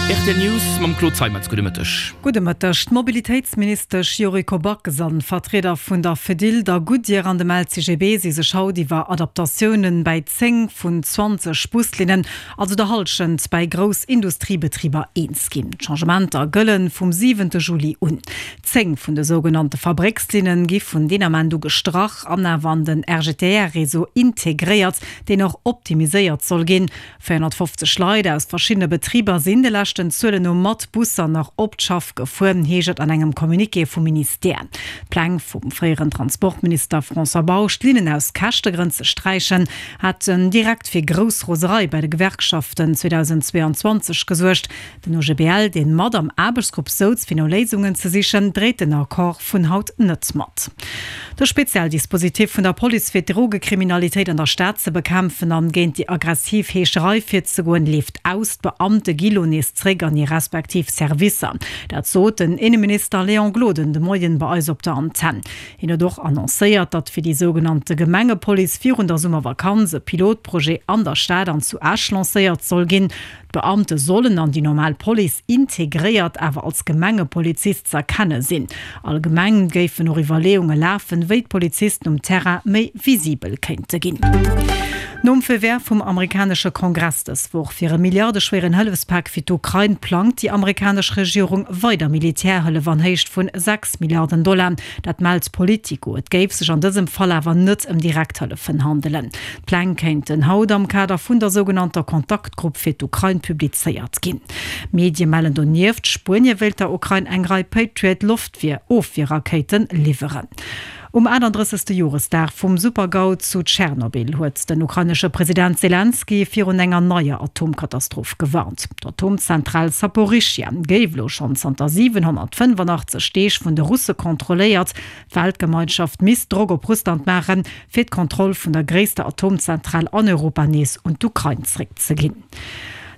Rtl News mam Claude Zeimetz. Gudde Mëtteg. Gudde Mëtteg. D'Mobilitéitsministesch Yuriko Backes an d'Vertrieder vun der Fedil, der Goodyear an dem LCGB si sech haut iwwer Adaptatiounen bäi 10 vun 20 Buslinnen, also der Hallschent bäi grouss Industriebetriber, eens ginn. D'Changementer gëllen vum siwente Juli un. 10 vun de sougenannte Fabréckslinne gi vun deen Ament u gestrach an awer an den RGTR-Réseau integréiert, deen och optimiséiert soll ginn. 450 Leit aus verschiddene Betriber sinn de leschten Zuelen no mat Busser nach op d'Schaff gefuer, heescht et an engem Communiqué vum Ministère. D'Pläng vum fréieren Transportminister François Bausch, d'Linnen aus Käschtegrënn ze sträichen, haten direkt fir grouss Roserei bei de Gewerkschaften 2022 gesuergt. Den OGBL, deen mat am Aarbechtsgrupp souz fir no Léisungen ze sichen, dréit den Accord vun haut net mat. De Spezialdispositif vun der Police fir d'Drogekriminalitéit an der Stad ze bekämpfen an géint déi aggressiv Heescherei virzegoen, leeft aus. D'Beamte gi lo nees zréck an hir respektiv Servicer. Dat sot den Inneminister Léon Gloden de Moien bei eis op der Antenn. Hien huet och annoncéiert, datt fir déi sougenannte Gemengepolice virun der Summervakanz e Pilotprojet an der Stad an zu Esch lancéiert soll ginn. D'Beamte sollen an déi normal Police integréiert, awer als Gemengepolizist z'erkenne sinn. Allgemeng géifen och Iwwerleeunge lafen, wéi d'Polizisten um Terrain méi visibel kéinte ginn. Nom Feu vert vum amerikanesche Kongress dës Woch fir e milliardeschwéieren Hëllefspak fir d'Ukrain, plangt déi amerikanesch Regierung weider Militärhëllef an Héicht vun 6 Milliarden Dollar. Dat mellt Politico. Et géif sech an dësem Fall awer net ëm Direkthëllefen handelen. D'Pläng kéinten haut am Kader vun der sougenannter Kontaktgrupp fir d'Ukrain publizéiert ginn. Medie mellen donieft, Spuenie wéilt der Ukrain eng Rei Patriot-Loftwier-Ofwierrakéite liwweren. Um 38. Joresdag vum Super-GAU zu Tschernobyl huet den ukrainesche President Selenskyj virun enger neier Atomkatastroph gewarnt. D'Atomzentral Saporischschja géif elo schonn zanter 785 Deeg vun de Russe kontrolléiert. D'Weltgemeinschaft misst Drock op Russland maachen, fir d'Kontroll vun der gréisster Atomzentral an Europa nees un d'Ukrain zréckzeginn.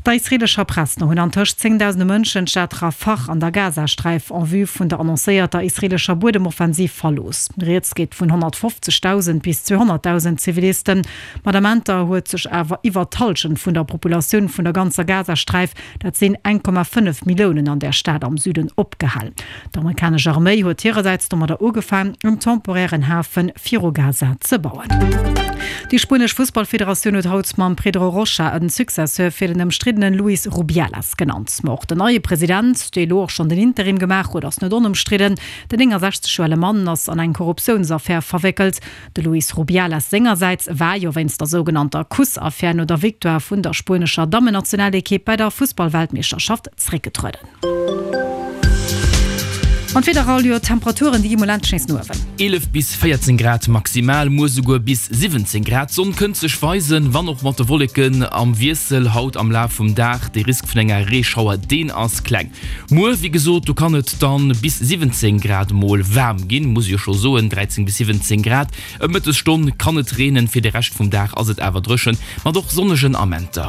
Der israeelescher Press no hunn antëscht zéngdausende Mënschen d'Stad Rafah an der Gazasträif en vue vun der annoncéierter israeelescher Buedemoffensiv verlooss. Rieds geet vun 150.000 bis 200.000 Zivilisten. Mat Amenter huet sech awer iwwer d'Hallschent vun der Populatioun vun der ganzer Gazasträif, dat sinn 1,5 Milliounen, an där Stad am Süden opgehal. D'amerikanesch Arméi huet hirersäits domadder ugefaang, en temporären Hafe viru Gaza ze bauen. Déi spuenesch Fussballfederatioun huet haut mam Pedro Rocha en Successeur fir den ëmstriddene Luis Rubiales genannt. Ma och den neie President, dee elo och schonn den Interim gemaach huet, ass net onëmstridden. Den 69 Joer ale Mann ass an eng Korruptiounsaffär verwéckelt. De Luis Rubiales sengersäits war jo wéinst der sougenannter Kuss-Affär no der Victoire vun der spuenescher Dammennationalekipp bei der Fussballweltmeeschterschaft zréckgetrueden. An d'Wieder all, jo d'Temperaturen déi gi mol endlech nees no uewen. 11 bis 14 Grad maximal, muer souguer bis 17 Grad. D'Sonn kënnt sech weisen, wann och mat de Wolleken am Wiessel haut am Laf vum Dag. De Risk vun enger Reeschauer, deen ass kleng. Muer, wéi gesot, do kann et dann bis 17 Grad mol waarm ginn, muss ech jo scho soen, 13 bis 17 Grad. Ëm Mëttesstonn kann et reenen, fir de Rescht vum Dag ass et awer dréchen, mat och sonnegen Amenter.